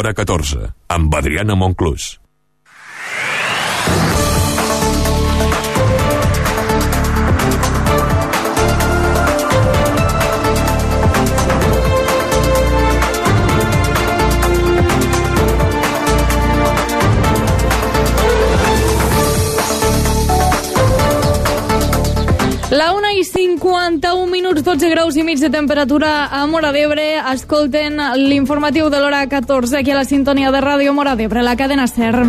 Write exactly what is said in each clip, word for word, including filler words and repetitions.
L'Hora catorze, amb Adriana Monclús. La una i cinquanta-un minuts, dotze graus i mig de temperatura a Móra d'Ebre. Escolten l'informatiu de l'Hora catorze aquí a la sintonia de Ràdio Móra d'Ebre, la cadena SER.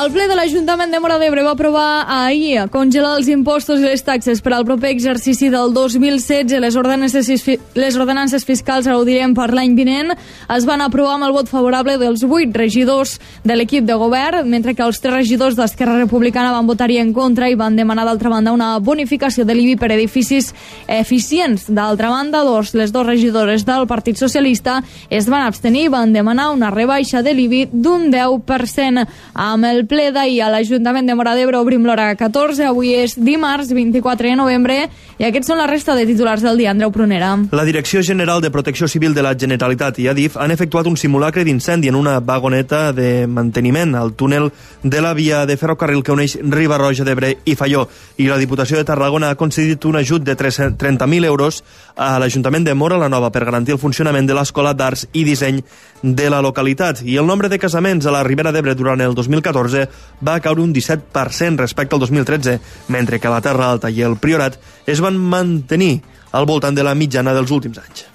El ple de l'Ajuntament de Móra d'Ebre va aprovar ahir congelar els impostos i les taxes per al proper exercici del dos mil setze. Les ordenances, les ordenances fiscals, ara ho direm, per l'any vinent, es van aprovar amb el vot favorable dels vuit regidors de l'equip de govern, mentre que els tres regidors d'Esquerra Republicana van votar-hi en contra i van demanar, d'altra banda, una bonificació de l'I B I per edificis eficients. D'altra banda, dos, les dues regidores del Partit Socialista es van abstenir i van demanar una rebaixa de l'I B I d'un deu per cent. Amb el ple d'ahir a l'Ajuntament de Móra d'Ebre obrim l'Hora catorze. Avui és dimarts vint-i-quatre de novembre i aquests són la resta de titulars del dia. Andreu Prunera. La Direcció General de Protecció Civil de la Generalitat i Adif han efectuat un simulacre d'incendi en una vagoneta de manteniment al túnel de la via de ferrocarril que uneix Riba-roja d'Ebre i Faió, i la Diputació de Tarragona ha concedit un ajut de trenta mil euros a l'Ajuntament de Móra la Nova per garantir el funcionament de l'Escola d'Arts i Disseny de la localitat. I el nombre de casaments a la Ribera d'Ebre durant el dos mil catorze va caure un disset per cent respecte al dos mil tretze, mentre que la Terra Alta i el Priorat es van mantenir al voltant de la mitjana dels últims anys.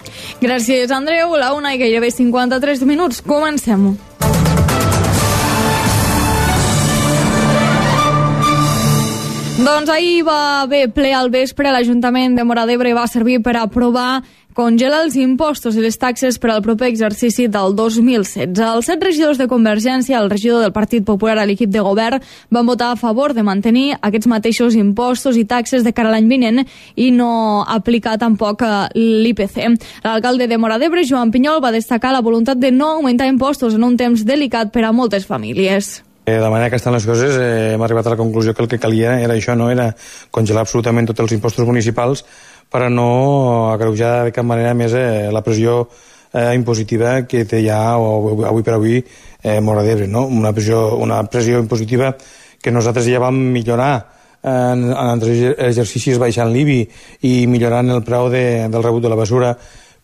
Gràcies, Andreu. La una i gairebé cinquanta-tres minuts. Comencem-ho. Doncs ahir va haver ple al vespre. L'Ajuntament de Móra d'Ebre va servir per aprovar congelar els impostos i les taxes per al proper exercici del dos mil setze. Els set regidors de Convergència, el regidor del Partit Popular a l'equip de govern, van votar a favor de mantenir aquests mateixos impostos i taxes de cara a l'any vinent i no aplicar tampoc l'I P C. L'alcalde de Móra d'Ebre, Joan Pinyol, va destacar la voluntat de no augmentar impostos en un temps delicat per a moltes famílies. De la manera que estan les coses, eh, hem arribat a la conclusió que el que calia era això, no? Era congelar absolutament tots els impostos municipals per a no agreujar de cap manera més eh, la pressió eh, impositiva que té ja o, avui per avui eh, Móra d'Ebre, no? Una pressió, una pressió impositiva que nosaltres ja vam millorar en, en altres exercicis baixant l'I B I i millorant el preu de, del rebut de la basura,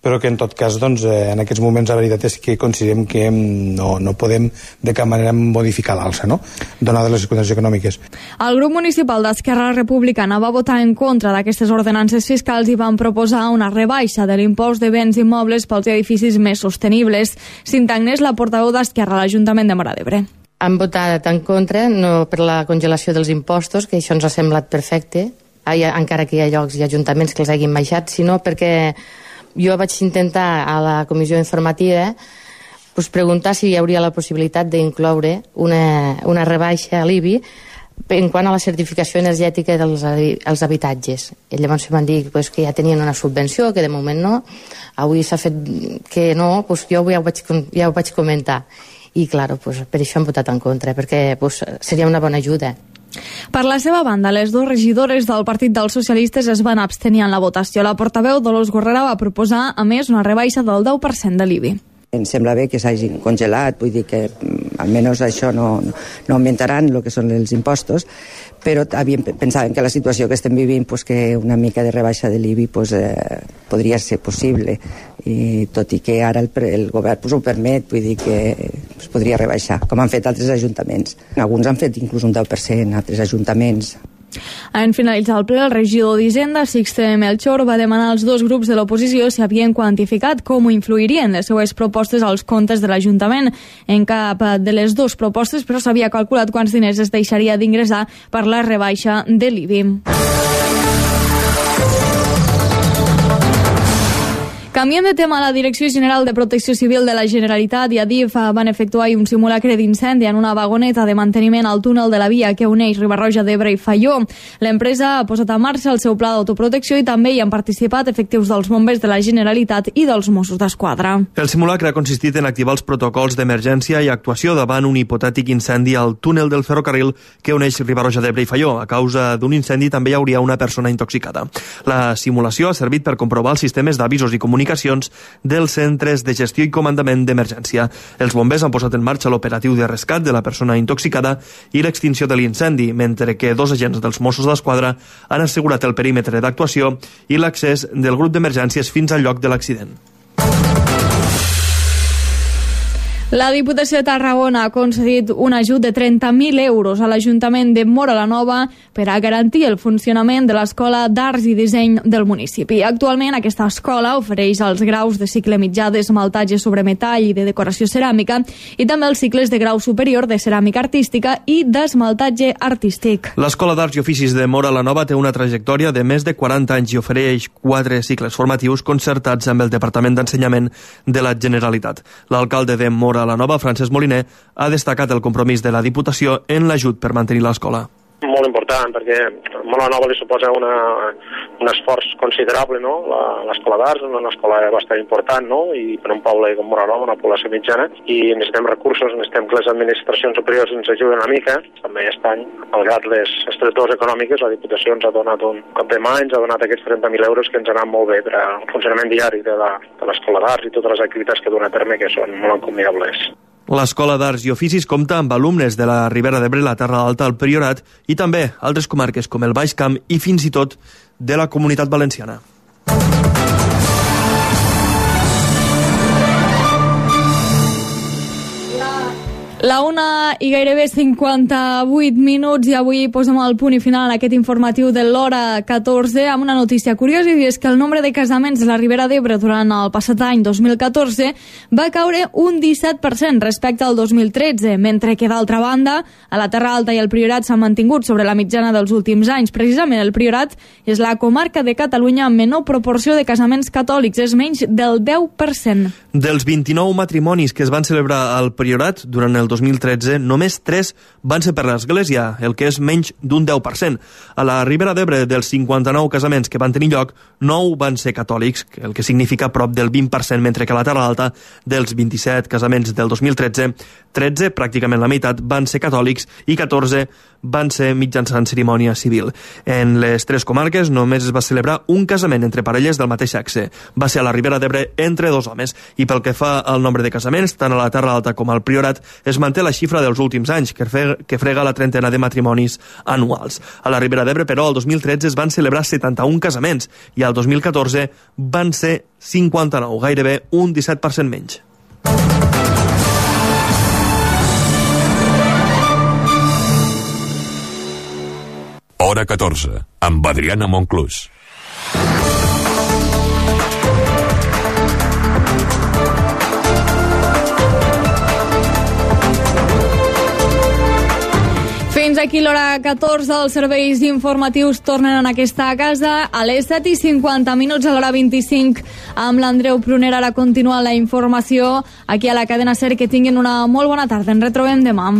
però que en tot cas doncs, en aquests moments la veritat és que considerem que no, no podem de cap manera modificar l'alça, no? Donades les circumstàncies econòmiques. El grup municipal d'Esquerra Republicana va votar en contra d'aquestes ordenances fiscals i van proposar una rebaixa de l'impost de béns immobles pels edificis més sostenibles. Cinta Agnès, la portaveu d'Esquerra a l'Ajuntament de Móra d'Ebre. Han votat en contra, no per la congelació dels impostos, que això ens ha semblat perfecte, encara que hi ha llocs i ajuntaments que els hagin baixat, sinó perquè jo vaig intentar a la comissió informativa pues, preguntar si hi hauria la possibilitat d'incloure una, una rebaixa a l'I B I en quant a la certificació energètica dels els habitatges. I llavors em van dir pues, que ja tenien una subvenció, que de moment no. Avui s'ha fet que no, pues, jo ja ho vaig, ja ho vaig comentar. I, clar, pues, per això hem votat en contra, perquè pues, seria una bona ajuda. Per la seva banda, les dues regidores del Partit dels Socialistes es van abstenir en la votació. La portaveu Dolors Gorrera va proposar, a més, una rebaixa del deu per cent de l'I B I. Em sembla bé que s'hagin congelat, vull dir que almenys això no, no augmentaran el que són els impostos, però havíem, pensàvem que la situació que estem vivint, pues, que una mica de rebaixa de l'I B I pues, eh, podria ser possible, i tot i que ara el, el govern pues, ho permet, vull dir que pues, podria rebaixar, com han fet altres ajuntaments. Alguns han fet inclús un deu per cent, altres ajuntaments. En finalitzar el ple, el regidor d'Hisenda, Sixte Melchor, va demanar als dos grups de l'oposició si havien quantificat com influirien les seues propostes als comptes de l'Ajuntament. En cap de les dues propostes, però s'havia calculat quants diners es deixaria d'ingressar per la rebaixa de l'I B I. Canviem de tema. La Direcció General de Protecció Civil de la Generalitat i Adif van efectuar un simulacre d'incendi en una vagoneta de manteniment al túnel de la via que uneix Riba-roja d'Ebre i Faió. L'empresa ha posat en marxa el seu pla d'autoprotecció i també hi han participat efectius dels bombers de la Generalitat i dels Mossos d'Esquadra. El simulacre ha consistit en activar els protocols d'emergència i actuació davant un hipotètic incendi al túnel del ferrocarril que uneix Riba-roja d'Ebre i Faió. A causa d'un incendi també hi hauria una persona intoxicada. La simulació ha servit per comprovar els sistemes d'avisos i comunicació comunicacions dels centres de gestió i comandament d'emergència. Els bombers han posat en marxa l'operatiu de rescat de la persona intoxicada i l'extinció de l'incendi, mentre que dos agents dels Mossos d'Esquadra han assegurat el perímetre d'actuació i l'accés del grup d'emergències fins al lloc de l'accident. La Diputació de Tarragona ha concedit un ajut de trenta mil euros a l'Ajuntament de Móra la Nova per a garantir el funcionament de l'Escola d'Arts i Disseny del municipi. Actualment, aquesta escola ofereix els graus de cicle mitjà d'esmaltatge sobre metall i de decoració ceràmica i també els cicles de grau superior de ceràmica artística i d'esmaltatge artístic. L'Escola d'Arts i Oficis de Móra la Nova té una trajectòria de més de quaranta anys i ofereix quatre cicles formatius concertats amb el Departament d'Ensenyament de la Generalitat. L'alcalde de Móra la Nova, Francesc Moliner, ha destacat el compromís de la Diputació en l'ajut per mantenir l'escola. Molt important, perquè a Móra la Nova li suposa una, un esforç considerable, no? L'escola d'arts és una escola bastant important, no? I per un poble com Móra la Nova, una població mitjana, i necessitem recursos, necessitem que les administracions superiors ens ajuden una mica. També aquest any, malgrat les estretors econòmiques, la Diputació ens ha donat un cop de mà, ens ha donat aquests trenta mil euros que ens han anat molt bé per al funcionament diari de l'escola d'arts i totes les activitats que dona a terme, que són molt encomiables. L'Escola d'Arts i Oficis compta amb alumnes de la Ribera d'Ebre, la Terra Alta, el Priorat i també altres comarques com el Baix Camp i fins i tot de la Comunitat Valenciana. La una i gairebé cinquanta-vuit minuts i avui posem el punt i final en aquest informatiu de l'hora catorze amb una notícia curiosa, i és que el nombre de casaments de la Ribera d'Ebre durant el passat any dos mil catorze va caure un disset per cent respecte al dos mil tretze, mentre que d'altra banda a la Terra Alta i el Priorat s'han mantingut sobre la mitjana dels últims anys. Precisament el Priorat és la comarca de Catalunya amb menor proporció de casaments catòlics, és menys del deu per cent. Dels vint-i-nou matrimonis que es van celebrar al Priorat durant el dos mil tretze, només tres van ser per l'Església, el que és menys d'un deu per cent. A la Ribera d'Ebre, dels cinquanta-nou casaments que van tenir lloc, nou van ser catòlics, el que significa prop del vint per cent, mentre que a la Terra Alta, dels vint-i-set casaments del dos mil tretze, tretze, pràcticament la meitat, van ser catòlics i catorze van ser mitjançant cerimònia civil. En les tres comarques només es va celebrar un casament entre parelles del mateix sexe. Va ser a la Ribera d'Ebre entre dos homes. I pel que fa al nombre de casaments, tant a la Terra Alta com al Priorat, es manté la xifra dels últims anys, que frega, que frega la trentena de matrimonis anuals. A la Ribera d'Ebre, però, el dos mil tretze es van celebrar setanta-un casaments i al dos mil catorze van ser cinquanta-nou, gairebé un disset per cent menys. Hora catorze, amb Adriana Monclús. Fins aquí l'hora catorze, els serveis informatius tornen en aquesta casa a les set i cinquanta minuts, a l'hora vint-i-cinc amb l'Andreu Prunera. Ara continua la informació aquí a la cadena SER. Que tinguin una molt bona tarda. Ens retrobem demà.